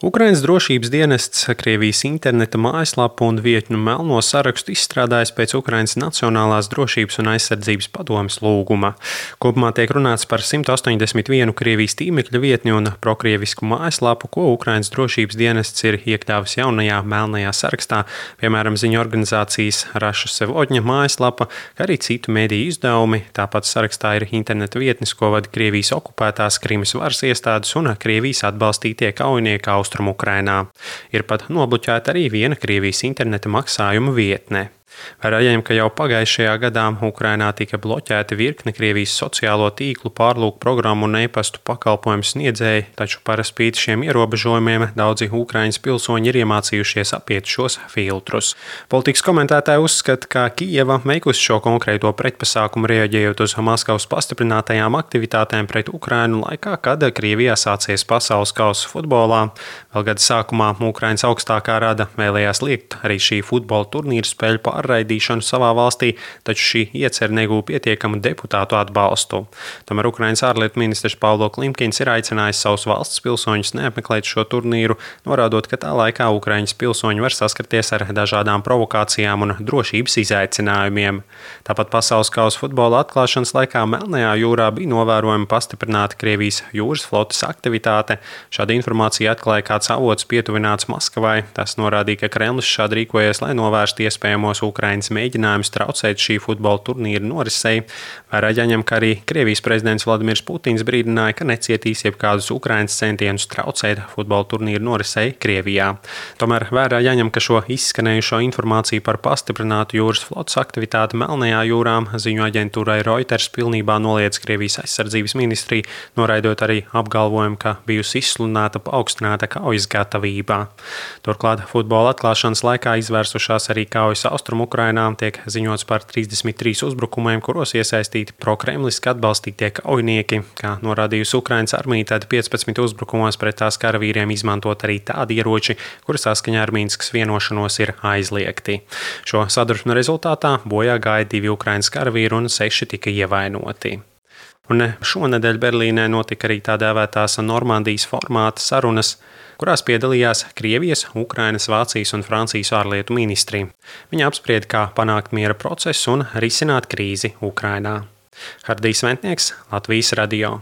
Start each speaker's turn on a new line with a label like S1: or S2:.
S1: Ukrainas drošības dienests Krievijas interneta mājaslapu un vietņu melno sarakstu izstrādājis pēc Ukrainas Nacionālās drošības un aizsardzības padomes lūguma. Kopumā tiek runāts par 181 Krievijas tīmekļa vietņu un prokrievisku mājaslapu, ko Ukrainas drošības dienests ir iekļāvis jaunajā melnajā sarakstā, piemēram, ziņu organizācijas Raša Sevodņa mājaslapa, kā arī citu mediju izdevumi. Tāpat sarakstā ir interneta vietnes, ko vada Krievijas okupētās Krimas varas iestādes un Krievijas atbalstītie kaujinieki Austrumu-Ukrainā. Ir pat nobloķēta arī viena Krievijas interneta maksājuma vietne. Vērojam, ka jau pagājušajā gadā Ukrainā tika bloķēti virkne Krievijas sociālo tīklu, pārlūku programmu un e-pastu pakalpojumu sniedzēji, taču par spīti šiem ierobežojumiem daudzi Ukrainas pilsoņi ir iemācījušies apiet šos filtrus. Politikas komentētāji uzskata, ka Kijeva veikusi šo konkrēto pretpasākumu reaģējot uz Maskavas pastiprinātajām aktivitātēm pret Ukrainu laikā, kad Krievijā sācies pasaules kausa futbolā. Vēl gada sākumā Ukrainas augstākā rada vēlējās liekt arī šī futbola turnīra spēļu pārraidīšanu savā valstī, taču šī iecer negūja pietiekamu deputātu atbalstu. Tomēr Ukrainas ārlietu ministrs Paulo Klimkins ir aicinājis savus valsts pilsoņus neapmeklēt šo turnīru, norādot, ka tā laikā Ukraiņas pilsoņi var saskarties ar dažādām provokācijām un drošības izaicinājumiem. Tāpat pasaules kausa futbola atklāšanas laikā Melnajā jūrā bija novērojama pastiprināta Krievijas jūras flotes aktivitāte. Šāda informācija atklāja kāds avots pietuvināts Maskavai. Tas norādīja, ka Kremlis šādi rīkojies, lai novērstu iespējamos Ukrainas mēģinājums traucēt šī futbola turnīra norisei. Vērā jāņem, ka arī Krievijas prezidents Vladimirs Putins brīdināja, ka necietīs jebkādus Ukrainas centienus traucēt futbola turnīra norisei Krievijā. Tomēr vērā jāņem, ka šo izskanējušo informāciju par pastiprinātu jūras flotes aktivitāti Melnajā jūrā ziņu aģentūrai Reuters pilnībā noliedz Krievijas aizsardzības ministrija, noraidot arī apgalvojumu, ka bijusi izsludināta paaugstināta kaujas gatavībā. Turklāt futbola atklāšanas laikā izvērsušās arī kaujas Austrumu-Ukrainā, tiek ziņots par 33 uzbrukumiem, kuros iesaistīti prokremliski atbalstītie kaujinieki. Kā norādījusi Ukrainas armija, tad 15 uzbrukumos pret tās karavīriem izmantot arī tādi ieroči, kuri saskaņā ar Minskas vienošanos ir aizliegti. Šo sadursmu rezultātā bojā gāja 2 Ukrainas karavīri un 6 tika ievainoti. Un šonedēļ Berlīnē notika arī tā dēvētās Normandijas formāta sarunas, kurās piedalījās Krievijas, Ukrainas, Vācijas un Francijas ārlietu ministri. Viņi apsprieda, kā panākt miera procesu un risināt krīzi Ukrainā. Hardijs Ventnieks, Latvijas radio.